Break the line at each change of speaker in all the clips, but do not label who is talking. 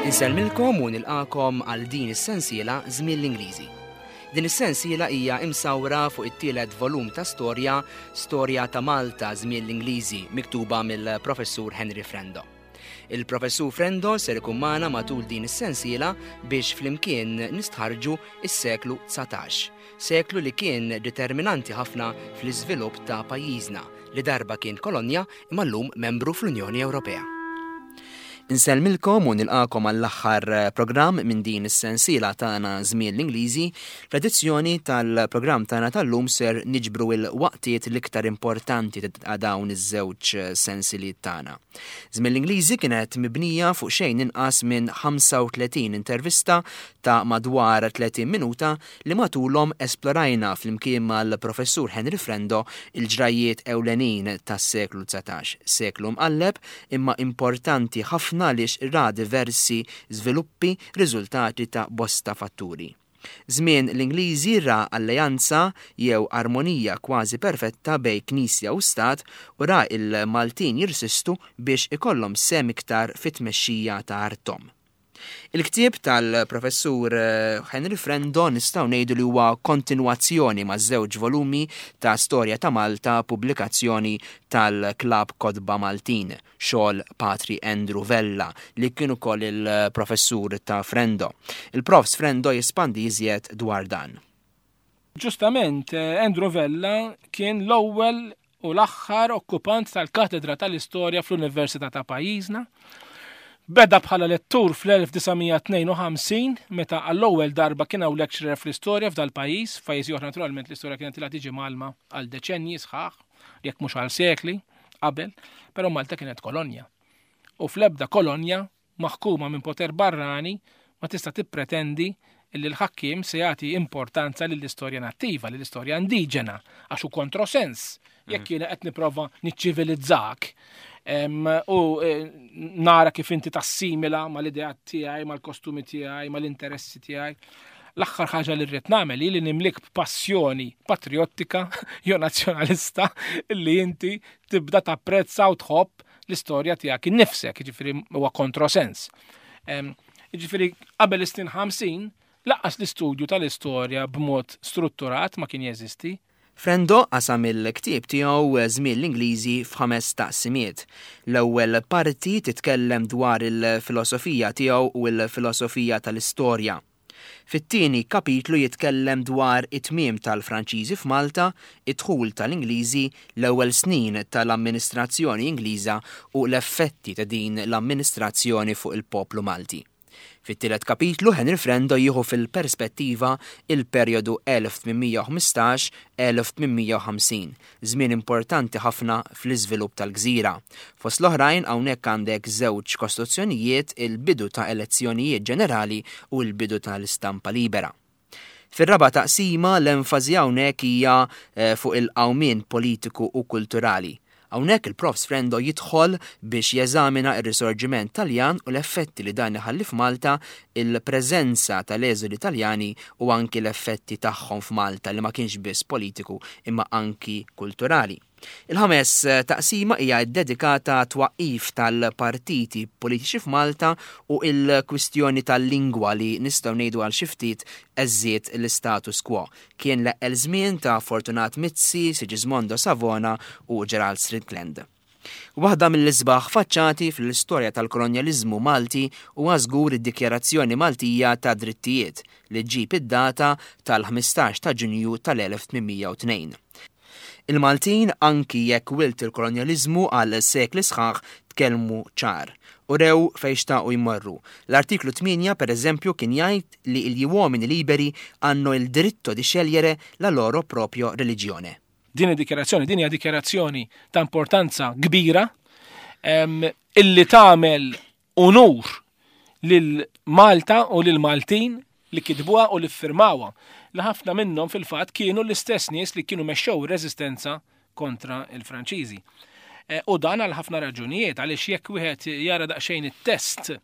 Insellmilkom u nilqakom għal din is-sensiela Żmien l-Ingliżi. Din is-sensiela hija imsawra fuq it-tielet volum ta' storja, Storja ta' Malta Żmien l-Ingliżi, miktuba mill-Professur Henry Frendo. Il-Professur Frendo ser ikun magħna matul din is-sensiela biex flimkien nistħarrġu s-seklu 19, seklu li kien determinanti ħafna fl-iżvilupp ta' pajjiżna li darba kien kolonja imma llum membru fl-Unjoni Ewropea. Insellmilkom u nilqakom għall-aħħar programm minn din is-sensiela tagħna Żmien l-Ingliżi. Fl-edizzjoni tal-programm tagħna tal-lum ser niġbru il-waqtiet l-iktar importanti ta' dawn iż-żewġ sensiliet tagħna. Żmien l-Ingliżi kienet mibnija fuq xejn inqas minn 35 intervista ta' madwar 30 minuta li matulhom esplorajna flimkien mal-Professur Henry Frendo il-ġrajjiet ewlenin tas-seklu 19, seklu mqalleb imma importanti ħafna għaliex ra diversi żviluppi riżultati ta' bosta fatturi. Żmien l-Ingliżi ra alleanza jew armonija kważi perfetta bejn Knisja u Stat u ra l-Maltin jirsistu biex ikollhom sehem iktar fit-tmexxija ta' arthom. Il-ktieb tal-Professur Henry Frendo nistgħu ngħidu li huwa kontinwazzjoni maż-żewġ volumi ta' Storja ta' Malta pubblikazzjoni tal-Klabb Kotba Maltin. xogħol Patri Andrew Vella li kien ukoll il-professur ta' Frendo. Il-Profs Frendo jespandi iżjed dwar dan.
Ġustament, Andrew Vella kien l-ewwel u l-aħħar okkupant tal-katedra tal-istorja fl-Università ta' pajjiżna. Beda bħala lettur fl-1952 meta għall-ewwel darba kien hawn lecturer fl-istorja f'dal-pajjiż, f'pajjiżi oħra naturalment l-istorja kienet ilha tiġi mgħallma għal deċennji sħaħ, jekk mhux għal sekli qabel, però Malta kienet kolonja. U fl-ebda kolonja maħkuma minn poter barrani ma tista' tippretendi li l-ħakkiem se jagħti importanza lill-istorja nattiva, lill-istorja indiġena, għax hu kontrosens. Jekk jiena qed nipprova niċċivilizzak u eh, nara kif inti tassimila mal-ideat tiegħi, mal-kostumi tiegħi, mal-interessi tiegħi. L-aħħar ħaġa li rrid nagħmel hi li nimlik b'passjoni patriottika jew nazzjonalista li inti tibda tapprezza u tħobb l-istorja tiegħek innifsek, jiġifieri huwa kontrosens. Jiġifieri qabel is-snin 50 laqqas l-istudju tal-istorja b'mod strutturat ma kien jeżisti.
Frendo qasam il-ktieb tiegħu Żmien l-Ingliżi f'ħames taqsimiet. L-ewwel parti titkellem dwar il-filosofija tiegħu u l-filosofija tal-istorja. Fit-tieni kapitlu jitkellem dwar it-tmiem tal-Franċiżi f'Malta, id-dħul tal-Ingliżi, l-ewwel snin tal-amministrazzjoni Ingliża u l-effetti ta' din l-amministrazzjoni fuq il-poplu Malti. Fit-tielet kapitlu Henry Frendo jieħu fil-perspettiva il-perjodu 1815-1850, żmien importanti ħafna fl-iżvilupp tal-gżira. Fost l-oħrajn hawnhekk għandek żewġ kostituzzjonijiet, il-bidu ta' elezzjonijiet ġenerali u l-bidu tal-istampa libera. Fir-raba' taqsima l-enfasi hawnhekk hija fuq il-qawmien politiku u kulturali. Hawnhekk il-Profs Frendo jidħol biex jeżamina r-Risorġiment Taljan u l-effetti li dan iħalli f'Malta, il-preżenza tal-eżoli Taljani u anki l-effetti tagħhom f'Malta li ma kienx biss politiku imma anki kulturali. Il-ħames taqsima hija ddedikata għat-twaqqif tal-partiti politiċi f'Malta u l-kwistjoni tal-lingwa li nistgħu ngħidu għal xi ftit għeżżiet l-istatus quo. Kien l-eqqel żmien ta' Fortunat Mizzi, Sigismondo Savona u Gerald Strickland. Waħda mill-isbaħ faċċati fl-istorja tal-kolonjaliżmu Malti huwa żgur id-Dikjarazzjoni Maltija tad-Drittijiet li ġġib id-data tal-15 ta' Ġunju tal-1802. Il-Maltin, anki jekk wilt il-kolonjaliżmu għal sekli sħaħ, tkellmu ċar. Urew fejn xtaqu jmorru. L-artiklu 8, per eżempju, kien jgħid li gli uomini liberi hanno il diritto di scegliere la loro proprio religione.
Din id-dikjarazzjoni, din hija dikjarazzjoni ta' importanza kbira illi tagħmel unur lil Malta u lil Maltin li kitbuha u li ffirmawha, li ħafna minnhom fil-fatt kienu l-istess nies li kienu mexxew ir-reżistenza kontra l-Franċiżi. Eh, u dan għal ħafna raġunijiet, għaliex jekk wieħed jara daqsxejn it-test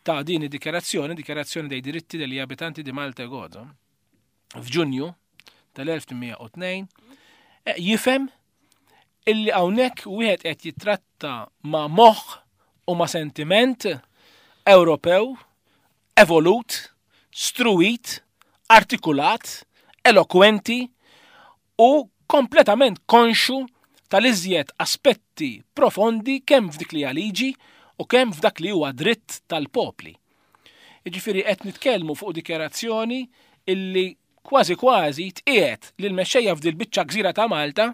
ta' din id-dikjarazzjoni, dikjarazzjoni dei diritti degli abitanti di Malta e Gozo, f'Ġunju tal-1802, eh, jifhem illi hawnhekk wieħed qed jitratta ma' moħħ u ma' sentiment. Ewropew evolut, struwit, artikulat, elokwenti u kompletament konxu tal-iżjed aspetti profondi kemm f'dik li hija liġi u kemm f'dak li huwa dritt tal-popli. Jiġifieri qed nitkellmu fuq dikjarazzjoni illi kważi kważi tqiegħed lil mexxejja f'dil biċċa gżira ta' Malta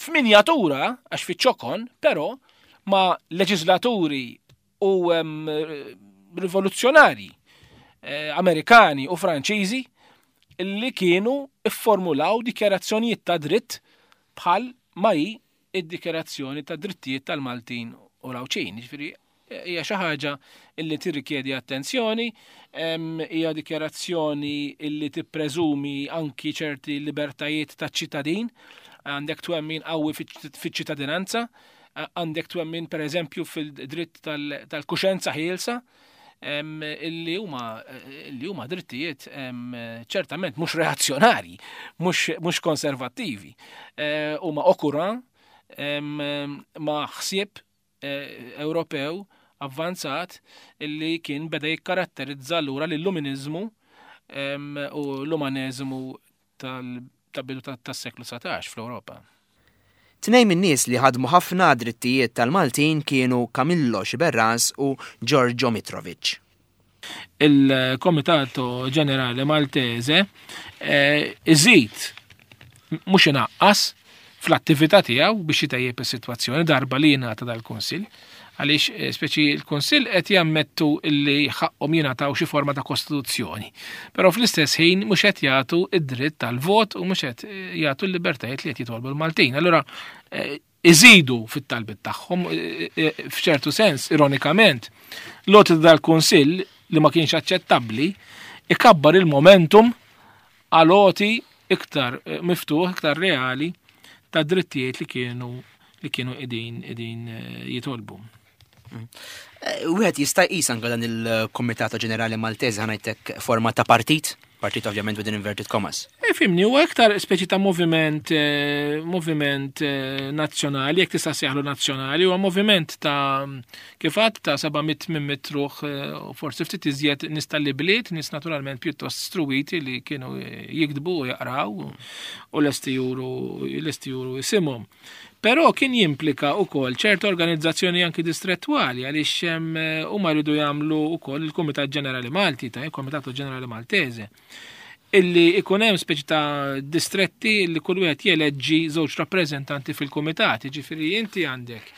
f'minjatura, għax fiċ-ċokon, però ma' leġislaturi u rivoluzzjonari eh, Amerikani u Franċiżi li kienu ifformulaw dikjarazzjonijiet ta' dritt bħal ma hi id-dikjarazzjoni ta' drittijiet tal-Maltin u l-Għawdxin. Jiġifieri hija xi ħaġa illi tirrikjedi attenzjoni, hija dikjarazzjoni illi tippreżumi anki ċerti libertajiet taċ-ċittadin, għandek twemmin qawwi fiċ-ċittadinanza, għandek twemmin pereżempju fil-dritt tal-kuxenza ħielsa, illi huma illi huma drittijiet ċertament mhux reazzjonarji, mhux konservattivi. Eh, huma okura ma' ħsieb eh, Ewropew avvanzat illi kien beda jikkaratterizza lura l-illuminizmu u l-umaneżmu tal-bidu tas-seklu 19 fl-Ewropa.
Tnejn min-nies li ħadmu ħafna għad-drittijiet tal-Maltin kienu Camillo Sciberras u Giorgio Mitrovic.
Il-Comitato Ġenerali Maltese eh, iżid mhux inaqqas fl-attività tiegħu biex itejjeb is-sitwazzjoni darba li jingħata dal-Kunsill għaliex eh, speċi l-Kunsill qed jammettu li ħaqqhom jingħataw xi forma ta' kostituzzjoni. Però fl-istess ħin mhux qed jagħtu id-dritt tal-vot u mhux qed eh, jagħtu l-libertajiet li qed jitolbu l-Maltin. Allura eh, iżidu fit-talbit tagħhom f'ċertu sens, ironikament, l-għoti dal-Kunsill li ma kienx aċċettabbli ikabbar il-momentum għal għoti iktar miftuħ, iktar reali ta' drittijiet li kienu li kienu qegħdin qegħdin eh, jitolbu.
Mm. Eh, wieħed jista' jqis anke dan il-Kumitat Ġenerali Maltese ħanajtek forma ta' partit, partit ovvjament within inverted commas.
E fimni, huwa iktar speċi ta' moviment eh, moviment nazzjonali, jekk tista' seħlu nazzjonali, huwa moviment ta' kif għadd ta' 700-800 ruħ u forsi ftit iżjed nies tal-ibliet, nies naturalment pjuttost struwiti li kienu jiktbu u jaqraw u lesti juru lesti juru isimhom. Però kien jimplika wkoll ċerta organizzazzjoni anki distrettwali għaliex eh, huma jridu jagħmlu wkoll il-Kumitat Ġenerali Malti ta' il-Komitato Ġenerali Maltese illi ikun hemm speċi ta' distretti li kull wieħed jeleġġi żewġ rappreżentanti fil-kumitat, jiġifieri inti għandek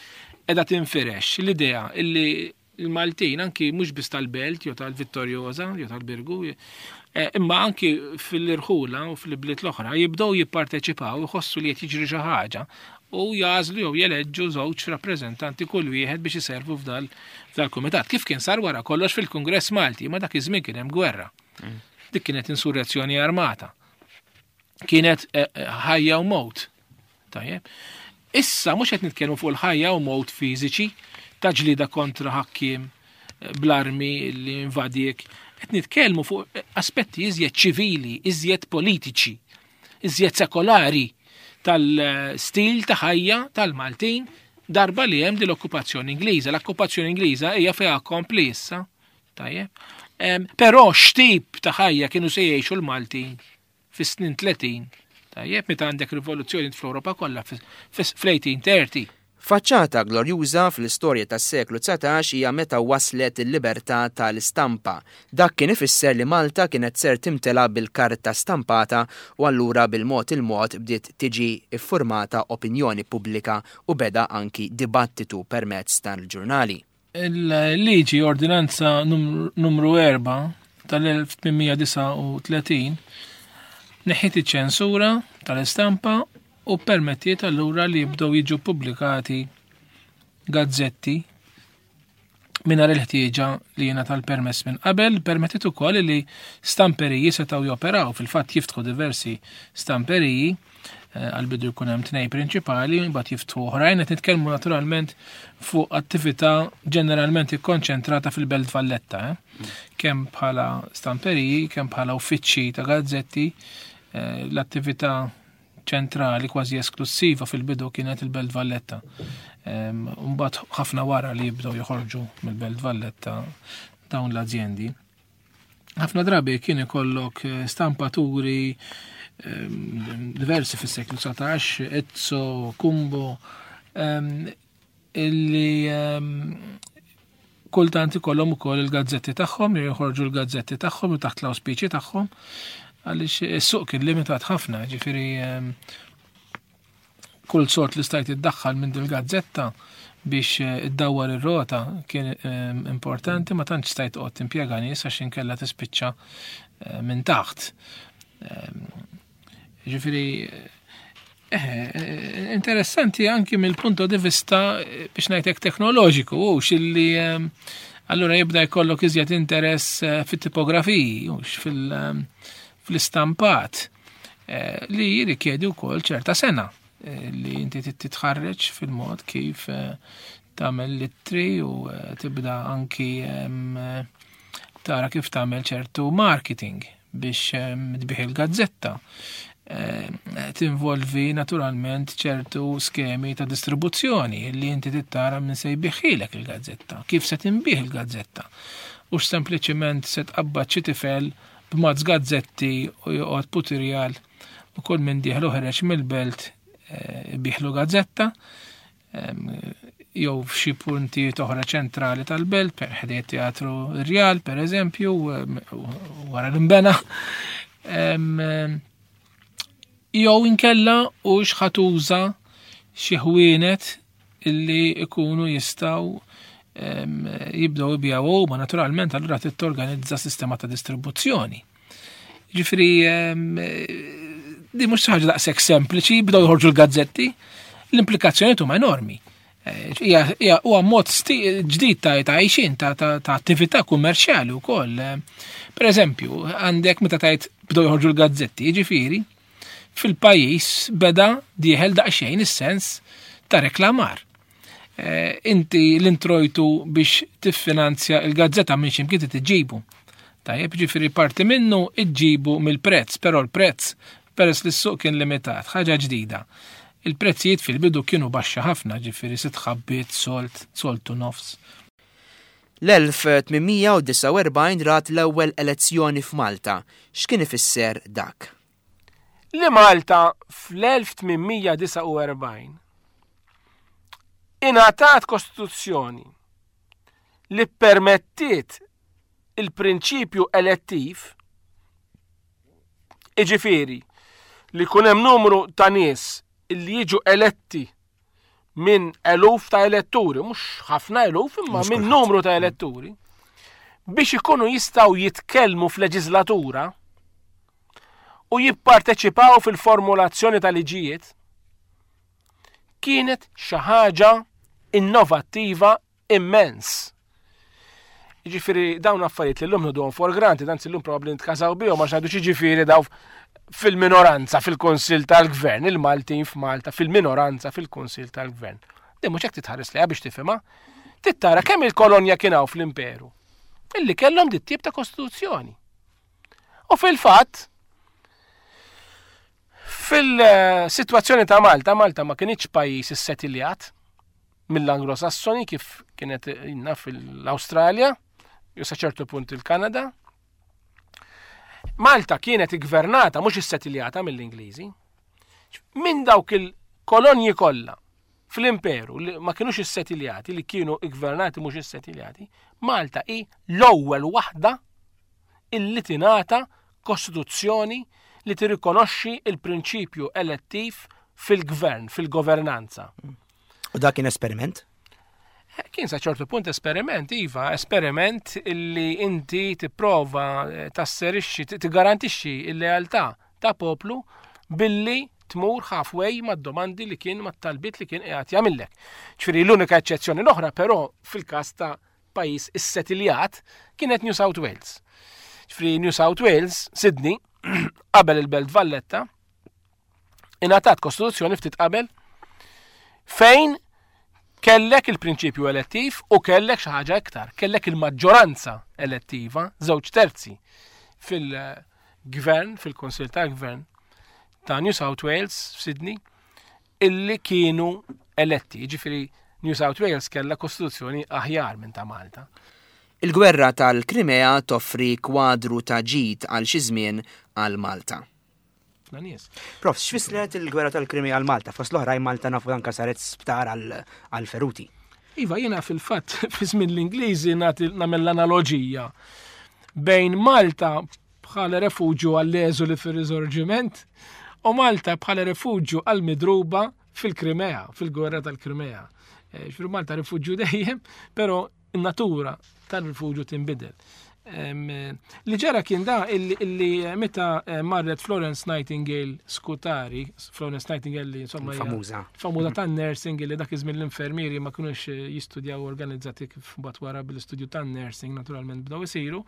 qiegħda tinfirex l-idea illi l-Maltin anki mhux biss tal-Belt jew tal-Vittoriosa jew tal-Birgu, eh, imma anki fil-irħula u fil-bliet l-oħra jibdew jipparteċipaw iħossu li qed jiġri xi ħaġa u jażlu jew jeleġġu żewġ rappreżentanti kull wieħed biex iservu f'dal-kumitat. Kif kien sar wara kollox fil-Kungress Malti, ma dak iż-żmien kien hemm gwerra. Mm. Dik kienet insurrezzjoni armata. Kienet eh, eh, ħajja u mowt. Tajjeb. Issa mhux qed nitkellmu fuq il-ħajja u mowt fiżiċi ta' ġlida kontra ħakkiem eh, bl-armi li invadiek. Qed nitkellmu fuq eh, aspetti iżjed ċivili, iżjed politiċi, iżjed sekolari tal-stil ta' ħajja tal-Maltin darba li hemm din l-okkupazzjoni Ingliża. L-okkupazzjoni Ingliża hija fiha kompli issa. Tajjeb. Però x'tip ta' ħajja kienu se jgħixu l-Maltin fis-snin 30, tajjeb, meta għandek rivoluzzjoni fl-Ewropa kollha fl-1830.
Faċċata glorjuża fl-istorja tas-seklu 19 hija meta waslet il-libertà tal-istampa. Dak kien ifisser li Malta kienet ser timtela bil-karta stampata u allura bil-mod il-mod bdiet tiġi ffurmata opinjoni pubblika u beda anki dibattitu permezz tal-ġurnali.
Il-liġi Ordinanza Numru 4 tal-1839 neħħiet iċ-ċensura tal-istampa u ppermettiet allura li jibdew jiġu ppubblikati gazzetti mingħajr il-ħtieġa li jingħata l-permess minn qabel, permettiet ukoll li stamperiji setgħu joperaw, fil-fatt jiftħu diversi stamperiji Eh, għal-bidu jkun hemm tnej prinċipali, mbagħad jiftħu oħrajn qed nitkellmu naturalment fuq attività ġeneralment ikkonċentrata fil-Belt Valletta, eh? kemm bħala stamperiji, kemm bħala uffiċċji ta' gazzetti, eh, l-attività ċentrali kważi esklusiva fil-bidu kienet il-Belt Valletta. Mbagħad ħafna wara li jibdew joħorġu mill-Belt Valletta dawn l-azjendi. Ħafna drabi kien ikollok eh, stampaturi diversi fis-seklu 19, Ezzo, Kumbo, illi kultant ikollhom ukoll il-gazzetti tagħhom, jew joħorġu l-gazzetti tagħhom u taħt l-awspiċi tagħhom, għaliex is-suq kien limitat ħafna, ġifieri kull sort li stajt iddaħħal minn dil-gazzetta biex eh, iddawwar ir-rota kien importanti ma tantx stajt toqgħod timpjega nies għax inkella tispiċċa eh, minn taħt. Ġifieri eh, interessanti anki mill-punto di vista biex ngħidlek teknoloġiku u xilli allura jibda jkollok iżjed interess fit-tipografiji u fil-istampat. Eh, li jirrikjedi wkoll ċerta sena eh, li inti titħarreġ fil-mod kif eh, tagħmel littri u tibda anki tara kif tagħmel ċertu marketing biex tbih il-gazzetta. Tinvolvi naturalment ċertu skemi ta' distribuzzjoni li inti tittara minn se jbiħilek il-gazzetta, kif se tinbih il-gazzetta. U sempliċiment se tqabbad xi tifel b'mazz gazzetti u joqgħod putirjal u kull min dieħel u ħereġ mill-belt eh, biħlu gazzetta jew f'xi punti oħra ċentrali tal-belt, per ħdej teatru Rjal, per eżempju, wara l-imbena. Jew inkella u xħatuża xi ħwienet illi ikunu jistaw jibdew ibijaw huma naturalment allura trid torganizza sistema ta' distribuzzjoni. Ġifieri di mhux ħaġa daqshekk sempliċi, jibdew joħorġu l-gazzetti, l-implikazzjonijiet huma enormi. Eh, huwa mod ġdid ta' għajxin ta' attività kummerċjali wkoll. Per eżempju, għandek meta tajt bdew joħorġu l-gazzetti, jiġifieri, fil-pajjiż beda dieħel daqsxejn is-sens ta' reklamar. Eh, inti l-introjtu biex tiffinanzja il-gazzetta minn ximkien tiġibu. Tajjeb, ġifieri parti minnu iġġibu mill-prezz, però l-prezz peress li s-suq kien limitat, ħaġa ġdida. Il-prezzijiet fil-bidu kienu baxxa ħafna, ġifieri sitt ħabbiet, solt, soltu nofs.
L-1849 rat l-ewwel elezzjoni f'Malta. X'kien ifisser dak?
Li Malta fl-1849 ingħatat kostituzzjoni li ppermettiet il-prinċipju elettiv, iġifieri li jkun hemm numru ta' nies li jiġu eletti minn eluf ta' eletturi, mhux ħafna eluf, imma minn numru ta' eletturi, biex ikunu jistgħu jitkellmu f'leġislatura u jipparteċipaw fil-formulazzjoni ta' liġijiet, kienet xi ħaġa innovattiva immens. Jiġifieri dawn affarijiet li llum nħuduhom for granted, anzi llum probabbli nitkażaw bihom għax ngħidu x'jiġifieri daw fil-minoranza fil-Kunsill tal-Gvern, il-Maltin f'Malta fil-minoranza fil-Kunsill tal-Gvern. Din mhux hekk titħares lejha biex tifhimha. Tittara kemm il-kolonja kien hawn fl-imperu illi kellhom dit tip ta' kostituzzjoni. U fil-fatt, fil-sitwazzjoni ta' Malta, Malta ma kienx pajjiż issettiljat, mill-Anglo-Sassoni kif kienet inna fil-Awstralja, jew sa ċertu punt il-Kanada. Malta kienet iggvernata mhux issetiljata mill-Ingliżi. Minn dawk il-kolonji kollha fl-imperu li ma kienux issetiljati, li kienu iggvernati mhux issetiljati, Malta hi l-ewwel waħda illi tingħata kostituzzjoni li tirrikonoxxi il-prinċipju elettiv fil-gvern, fil-governanza.
U dak kien esperiment?
Eh, kien sa ċertu punt esperiment, iva, esperiment illi inti tipprova eh, tasserixxi, tigarantixxi il-lealtà ta' poplu billi tmur halfway mad-domandi li kien mat-talbiet li kien qiegħed jagħmillek. Ġifieri l-unika eċċezzjoni l-oħra però fil-każ ta' pajjiż issetiljat kienet New South Wales. Ġifieri New South Wales, Sydney, qabel il-Belt Valletta, ingħatat kostituzzjoni ftit qabel fejn kellek il-prinċipju elettiv u kellek xi ħaġa iktar, kellek il-maġġoranza elettiva, żewġ terzi fil-gvern, fil-Kunsill tal-Gvern ta' New South Wales f'Sydney, illi kienu eletti. Jiġifieri New South Wales kellha kostituzzjoni aħjar minn ta' Malta.
Il-gwerra tal-Krimea toffri kwadru ta' ġid għal xi żmien għal Malta.
Ħafna nies.
Prof, x'fissret il-gwerra tal-Krimea għal Malta? Fost l-oħrajn Malta nafu anka saret sptar għal feruti.
Iva, jiena fil-fatt fi żmien l-Ingliżi nagħmel l-analoġija bejn Malta bħala refuġju għall-eżuli fir-Risorġiment u Malta bħala refuġju għall-midruba fil-Krimea, fil-gwerra tal-Krimea. Eh, ġifieri Malta rifuġju dejjem, però in-natura tal-rifuġju tinbidel. Li ġara kien da illi meta eh, marret Florence Nightingale Scutari, Florence Nightingale li insomma
famuża.
Famuża mhm. tan-nursing li dak iż-żmien l-infermieri ma kinux eh, jistudjaw organizzati kif mbagħad wara bil-istudju tan-nursing naturalment bdew isiru.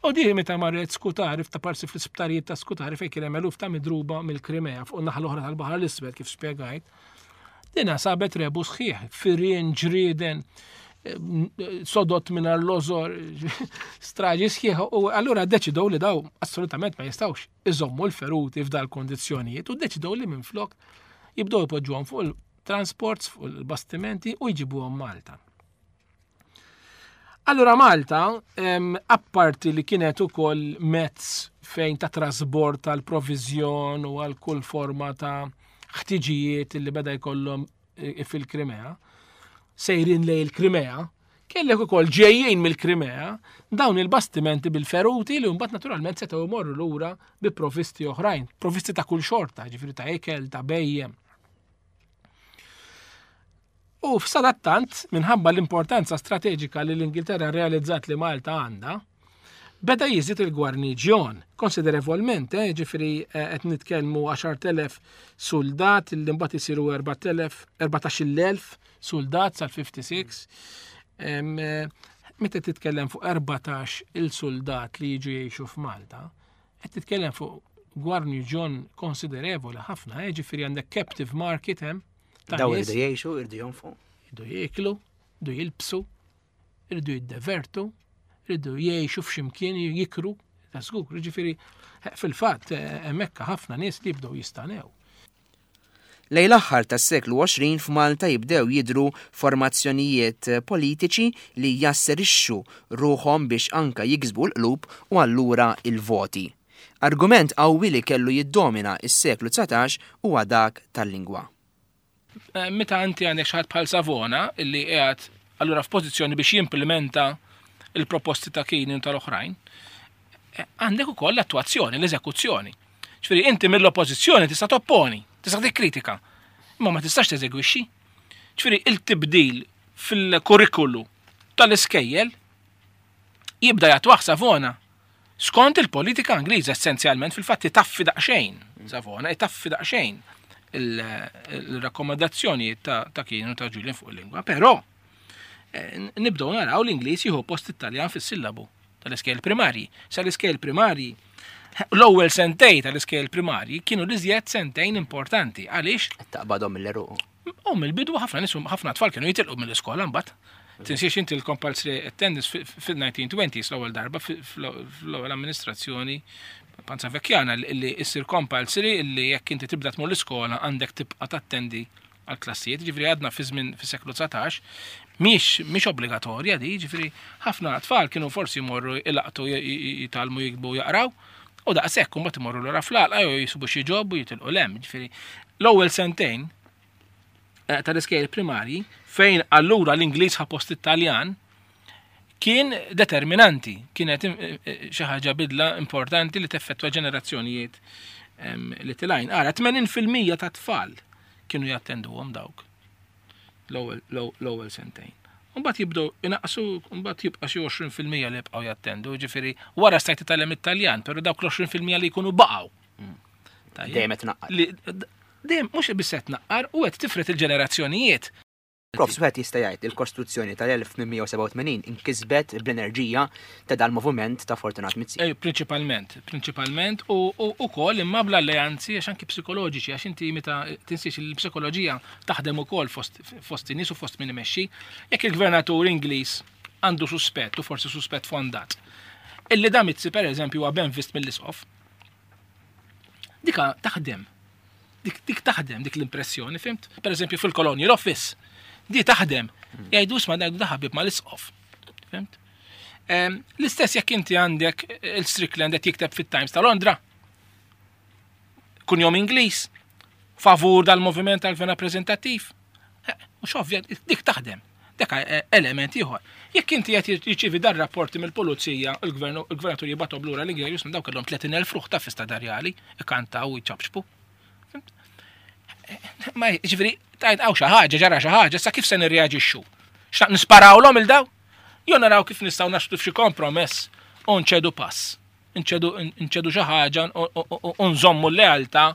U di meta marret Scutari f'taparsi fl-isptarijiet ta' Scutari fejn kien hemm eluf ta' midruba mill-Krimea fuq naħa l-oħra tal-Baħar l-Iswed kif spjegajt. Dina sabet rebu sħiħ, firien, ġrieden, sodot minn l-ozor, straġi sħiħ, u allura deċidow li daw assolutament ma jistawx iżommu l-feruti f'dal kondizjonijiet u deċidow li minn flok jibdow ipoġġuhom fuq il-transports, fuq il-bastimenti u jġibuhom Malta. Allura Malta, apparti li kienet ukoll mezz fejn ta' trasbord tal-provizjon u għal kull forma ta' ħtiġijiet li beda jkollhom e, fil-Krimea, sejrin lej il-Krimea, kellek ukoll ġejjin mill-Krimea dawn il-bastimenti bil-feruti li mbagħad naturalment setgħu jmorru lura bi provvisti oħrajn, provvisti ta' kull xorta, ġifieri ta' ikel, ta' bejjem. U f'sadattant, minħabba l-importanza strateġika li l-Ingilterra realizzat li Malta għandha, beda jiżdied il-gwarniġjon konsiderevolment, eh, ġifieri eh, qed nitkellmu 10,000 suldat li mbagħad isiru 4,000 14,000 suldat sal-56. Eh, meta titkellem fuq 14 il-suldat li jiġu jgħixu f'Malta, qed titkellem fuq gwarniġjon konsiderevoli ħafna, eh, ġifieri għandek captive market hemm
Daw irdu jgħixu, irdu jonfu.
Irdu jieklu, irdu jilbsu, irdu jiddevertu, irdu jgħixu f'ximkien jikru, ta' żgur, ġifieri fil-fatt eh, hemmhekk ħafna nies li jibdew jistanew.
Lejn l-aħħar tas-seklu 20 f'Malta jibdew jidhru formazzjonijiet politiċi li jasserixxu ruħhom biex anka jiksbu l-qlub u allura il-voti. Argument qawwi li kellu jiddomina s-seklu 19 huwa dak tal-lingwa.
Eh, meta inti għandek xi ħadd bħal Savona illi qiegħed allura f'pożizzjoni biex jimplementa il-proposti ta' Kini u tal-oħrajn, eh, għandek ukoll l-attwazzjoni, l-eżekuzzjoni. Ġifieri inti mill-oppożizzjoni tista' topponi, tista' tikkritika, imma ma tistax teżegwixxi. Ġifieri il-tibdil fil-kurrikulu tal-iskejjel jibda jatwaħ Savona Skont il-politika Ingliża essenzjalment fil-fatt itaffi daqsxejn Savona, itaffi daqsxejn il-rakkomandazzjonijiet ta' kienu ta' Julian fuq il-lingwa, però eh, nibdew naraw l-Ingliż jieħu post it-Taljan fis-sillabu tal-iskejl primarji. Sa l-iskejl primarji l-ewwel sentej tal-iskejl primarji kienu l-iżjed sentejn importanti. Għaliex?
Taqbadhom mill-eruq.
U mill-bidu ħafna nies ħafna tfal kienu jitilqu mill-iskola mbagħad. Tinsiex inti l-compulsory attendance fil-1920s l-ewwel darba fl-ewwel amministrazzjoni Panza Vecchiana li issir compulsory li jekk inti tibda tmur l-iskola għandek tibqa' tattendi għal klassijiet, ġifieri għadna fi żmien fis-seklu 19, mhix mhix obbligatorja di, ġifieri ħafna tfal kienu forsi jmorru ilaqtu jitgħallmu jiktbu jaqraw, u daqshekk imbagħad imorru lura fl-għalqa jew jisibu xi ġob u jitilqu lem, ġifieri l-ewwel sentejn eh, tal-iskejjel primarji fejn allura l-Ingliż ħa post it-Taljan kien determinanti, kienet eh, eh, xi ħaġa bidla importanti li teffettwa ġenerazzjonijiet li tilajn. Ara, 80% ta' tfal kienu jattenduhom dawk l-ewwel sentejn. Mbagħad jibdew inaqsu, mbagħad jibqa' xi 20% li jibqgħu jattendu, ġifieri wara stajt titgħallem it-Taljan, però dawk l-20% li jkunu baqgħu.
Mm. Dejjem qed naqqar.
Dejjem mhux biss qed naqqar u qed tifret il-ġenerazzjonijiet.
Prof, wieħed jista' jgħid li l-Kostituzzjoni tal-1887 inkisbet bl-enerġija ta' dal-moviment ta' Fortunat Mizzi.
Eh, prinċipalment, prinċipalment u ukoll imma bl-alleanzi għax anki psikoloġiċi għax inti meta tinsiex il-psikoloġija taħdem ukoll fost fost in-nies u fost min imexxi. Jekk il-gvernatur Ingliż għandu suspett u forsi suspett fondat. Illi da Mizzi pereżempju huwa ben vist mill-isqof. Dika taħdem. Dik, dik taħdem dik l-impressjoni, fimt? Per eżempju fil-Colonial Office. Di taħdem. Jgħidu isma' ngħidu da ħabib mal-isqof. Fimt? L-istess jekk inti għandek il-Strickland qed jikteb fit-Times ta' Londra. Kunjom Ingliż, favur dal-moviment tal-gvern rappreżentattiv. Eh, mhux ovvja, dik taħdem. Dak eh, element ieħor. Jekk inti qed jirċievi dar rapporti mill-pulizija, il-gvern il-gvernatur jibgħathom lura l-Ingliż minn dawk kellhom 30,000 ruħ ta' fista darjali, ikantaw u jċabxbu. Ma ġifieri tajt hawn xi ħaġa, ġara xi ħaġa, sa kif se nirreaġixxu? Xtaq nisparawlhom il daw? Jew naraw kif nistgħu naslu f'xi kompromess u nċedu pass. Nċedu xi ħaġa u nżommu l-lealtà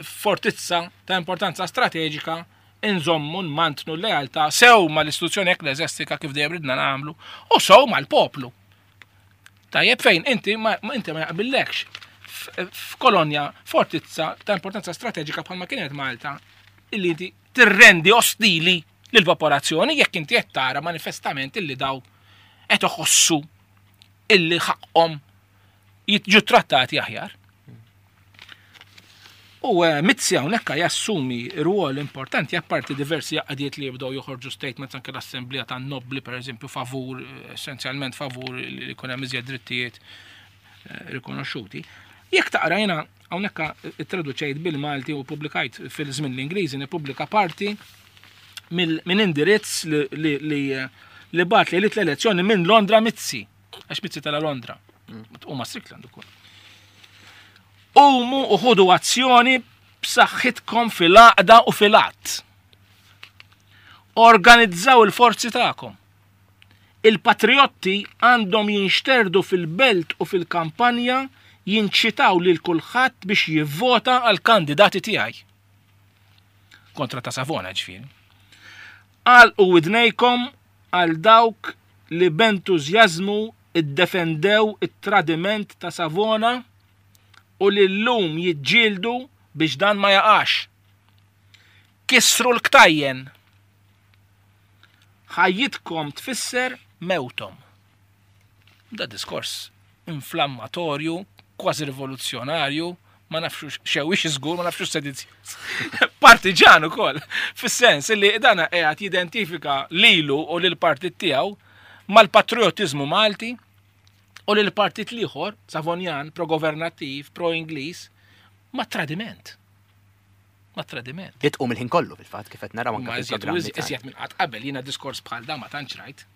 fortizza ta' importanza strateġika nżommu nmantnu l-lealtà sew mal-istituzzjoni ekkleżjastika kif dejjem ridna nagħmlu u sew mal-poplu. Tajjeb fejn inti ma inti ma jaqbillekx f'kolonja fortizza ta' importanza strateġika bħalma kienet Malta illi inti tirrendi ostili lill-popolazzjoni jekk inti qed tara manifestament illi daw qed iħossu illi ħaqqhom jiġu trattati aħjar. U eh, Mizzi hawnhekk jassumi rwol importanti apparti diversi għaqdiet li jibdew joħorġu statements anke l-Assemblea tan-Nobbli pereżempju favur eh, essenzjalment favur li jkun hemm iżjed drittijiet eh, rikonoxxuti. Jekk taqra jiena hawnhekk ittraduċejt bil-Malti u pubblikajt fil-żmien l-Ingliżi nippubblika parti minn indirizz li li bat li l-elezzjoni minn Londra Mizzi. Għax Mizzi tala Londra. Mm. U ma Strickland ukoll. Qumu u ħudu azzjoni b'saħħitkom fil-għaqda u fil-att. Organizzaw il-forzi tagħkom. Il-patriotti għandhom jinxterdu fil-belt u fil-kampanja jinċitaw lil kulħadd biex jivvota għal kandidati tiegħi. Kontra ta' Savona ġifieri. Għalqu widnejkom għal dawk li b'entużjażmu ddefendew it-tradiment ta' Savona u li llum jiġġieldu biex dan ma jaqax. Kissru l-ktajjen! Ħajjitkom tfisser mewthom. Da diskors inflammatorju, kważi rivoluzzjonarju, ma nafx xewix żgur, ma nafx sedizzjuż. Partiġan ukoll, fis-sens li dana qiegħed jidentifika lilu u lil partit tiegħu mal-patriotizmu Malti u lil partit l-ieħor, Savonjan, pro-governattiv, pro-Ingliż, ma' tradiment. Ma' tradiment.
Li tqum il-ħin kollu fil-fatt kif qed naraw anke
fil-programmi. Iżjed minn qatt qabel jiena diskors bħal da ma tantx rajt.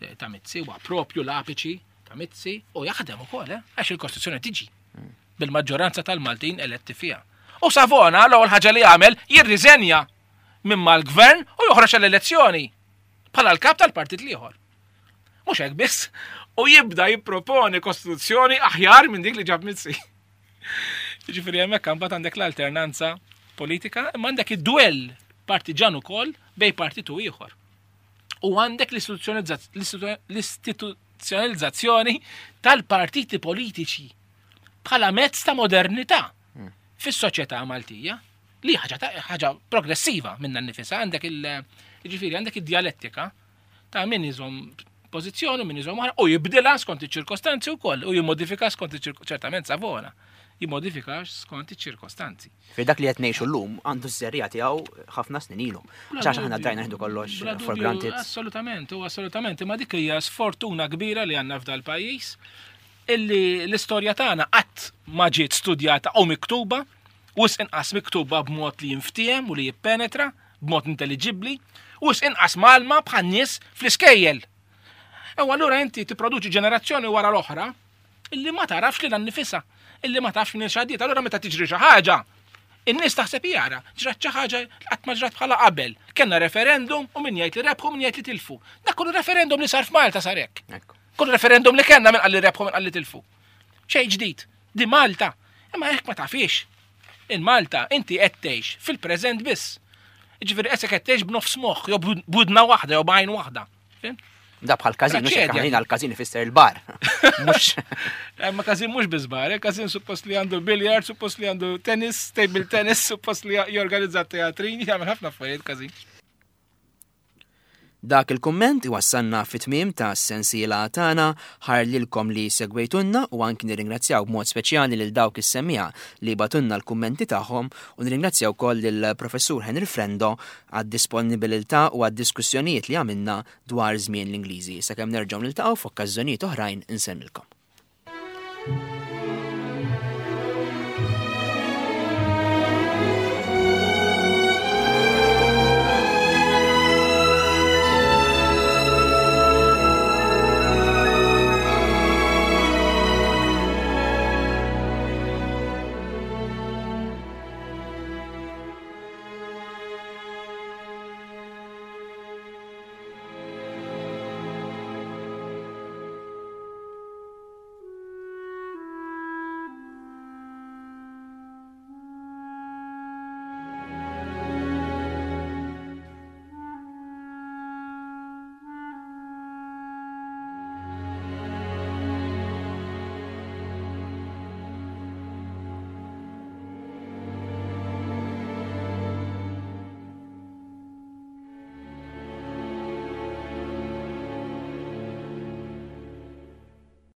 Eh, ta' Mizzi huwa propju l-apiċi ta' Mizzi u jaħdem ukoll, eh, għax il-Kostituzzjoni tiġi bil-maġġoranza tal-Maltin eletti fiha. U Savona l-ewwel ħaġa li għamel jirriżenja minn mal-gvern u joħroġ għall-elezzjoni bħala l-kap tal-partit l-ieħor. Mhux hekk biss, u jibda jipproponi kostituzzjoni aħjar minn dik li ġab Mizzi. Ġifieri hemmhekk imbagħad għandek l-alternanza politika, imma għandek id-duell partiġan ukoll bej partit u ieħor. U għandek l-istituzzjonalizzazzjoni tal-partiti politiċi bħala mezz ta' modernità hmm. fis-soċjetà Maltija li ħaġa ħaġa progressiva minna nifisa għandek il ġifieri għandek id-dialettika ta' min iżomm pożizzjoni min iżomm oħra u jibdilha skont iċ-ċirkostanzi wkoll u jimmodifika skont ċertament Savona jimmodifika skont iċ-ċirkostanzi.
Fi dak li qed ngħixu llum għandu ż-żerriegħa tiegħu ħafna snin ilu. Għax aħna drajna nieħdu kollox for granted.
Assolutament, u assolutament, imma dik hija sfortuna kbira li għandna f'dal pajjiż illi l-istorja tagħna qatt ma ġiet studjata u miktuba, wisq inqas miktuba b'mod li jinftiehem u li jippenetra, b'mod intelliġibbli, wisq inqas mgħallma bħan-nies fl-iskejjel. U allura inti tipproduċi ġenerazzjoni wara l-oħra illi ma tarafx lilha nnifisha, illi ma tafx minn x'għaddiet. Allura meta tiġri xi ħaġa, in-nies taħseb jara, ġrat xi ħaġa li qatt ma ġrat bħala qabel. Kellna referendum u min jgħid li rebħu min jgħid li tilfu. Dak kollu referendum li sar f'Malta sar hekk. Kull referendum li kellna min qal li rebħu min qal li tilfu. Xejn ġdid. Di Malta. Imma hekk ma tafix. In Malta inti qed tgħix fil-preżent biss. Ġifieri qed qed tgħix b'nofs moħħ jew b'widna waħda jew b'għajn waħda.
Da bħal każin, mhux hekk aħna l-każin ifisser il-bar.
Mhux. Eh, ma każin mhux biss bar, eh, każin suppost li għandu billiard, suppost li għandu tennis, table tennis, suppost li jorganizza teatrin, jagħmel ħafna affarijiet każin.
Dak il-kumment iwassalna fit-tmiem ta' sensiela tagħna ħajr lilkom li segwejtunna u anki nirringrazzjaw b'mod speċjali lil dawk is-semmiegħa li bagħtulna l-kummenti tagħhom u nirringrazzjaw ukoll lill-Professur Henry Frendo għad-disponibilità u għad-diskussjonijiet li għamilna dwar żmien l-Ingliżi. Sakemm nerġgħu niltaqgħu f'okkażjonijiet oħrajn insellmilkom.